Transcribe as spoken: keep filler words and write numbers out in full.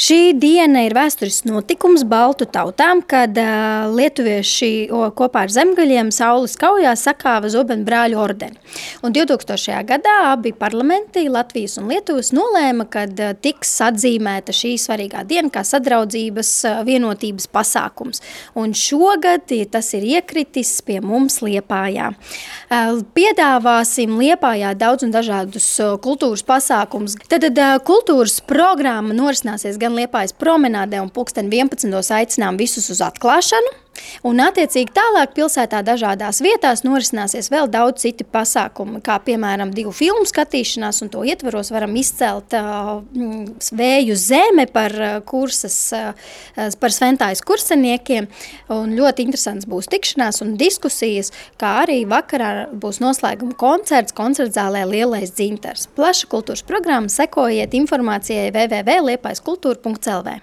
Šī diena ir vēsturisks notikums baltu tautām, kad uh, lietuvieši o, kopā ar zemgaļiem saules kaujā sakāva Zobenu brāļu ordeni. Un divtūkstošajā gadā abi parlamenti, Latvijas un Lietuvas, nolēma, kad uh, tiks atzīmēta šī svarīgā diena kā sadraudzības uh, vienotības pasākums. Un šogad tas ir iekritis pie mums Liepājā. Uh, piedāvāsim Liepājā daudz un dažādus uh, kultūras pasākumus. Tad uh, kultūras programma norisināsies gan Liepājas promenādē un pulksten vienpadsmitos aicinām visus uz atklāšanu. Un attiecīgi tālāk pilsētā dažādās vietās norisināsies vēl daudz citi pasākumi, kā piemēram divu filmu skatīšanās, un to ietvaros varam izcelt uh, Vēju zeme par uh, kursas, uh, par Sventājas kurseniekiem, un ļoti interesants būs tikšanās un diskusijas, kā arī vakarā būs noslēguma koncerts koncertzālē Lielais dzintars. Plaša kultūras programma, sekojiet informācijai w w w punkt liepājaskultūra punkt l v.